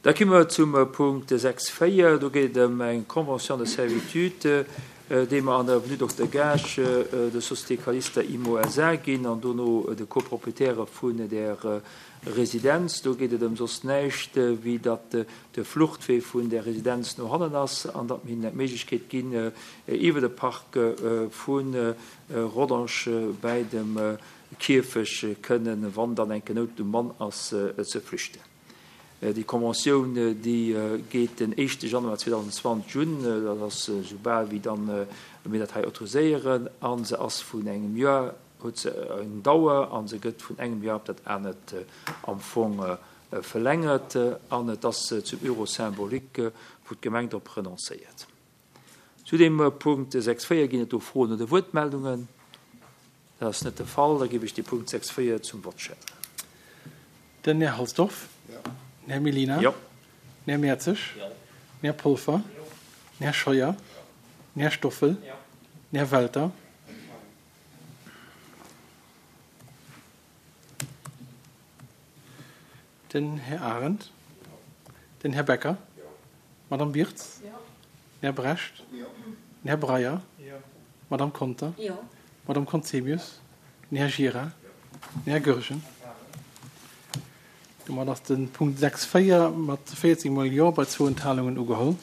Da komme mer zum Punkt 6, 4. Do geet et ëm eng Convention de servitude, déi mer an der Avenue Dokter Gaasch der Société Calista Immo SA. ginn an dono de Copropriétaire vun där Residenz. Do geet et ëm soss näischt, wéi datt de Fluchtwee vun där Residenz no hannen ass an datt mir hinnen d'Méiglechkeet ginn, iwwer de Park vu Rodange bäi dem Kierfech kënnen, wann dann eng Nout um Mann ass, ze flüchten. Déi Conventioun, déi geet den éischte Januar 2020 un, dat ass esou bal wéi dann mir dat hei autoriséieren, a se ass vun engem Joer, huet se eng Dauer a se gëtt vun engem Joer op dat anert am Fong verlängert an et ass zum Euro symbolique, wou d'Gemeng drop renoncéiert. Zu deem Punkt 6, 4 ginn et do Froen oder Wuertmeldungen? Dat ass net de Fall. Da géif ech dee Punkt 6, 4 zum Vott stellen. Den Här Halsdorf. Den Här Mellina. Jo. Den Här Mertzig. Jo. Den Här Polfer. Jo. Den Här Scheuer. Jo. Den Här Stoffel. Jo. Den Här Welter. Den Här Arendt. Den Här Becker. D'Madame Birtz. Den Här Brecht. Den Här Breyer. D'Madame Conter. D'Madame Conzemius. Den Här Gira. Den Här Goergen. Domat ass de Punkt 6, 4 mat 14 mol Jo bei zwou Enthalungen ugeholl.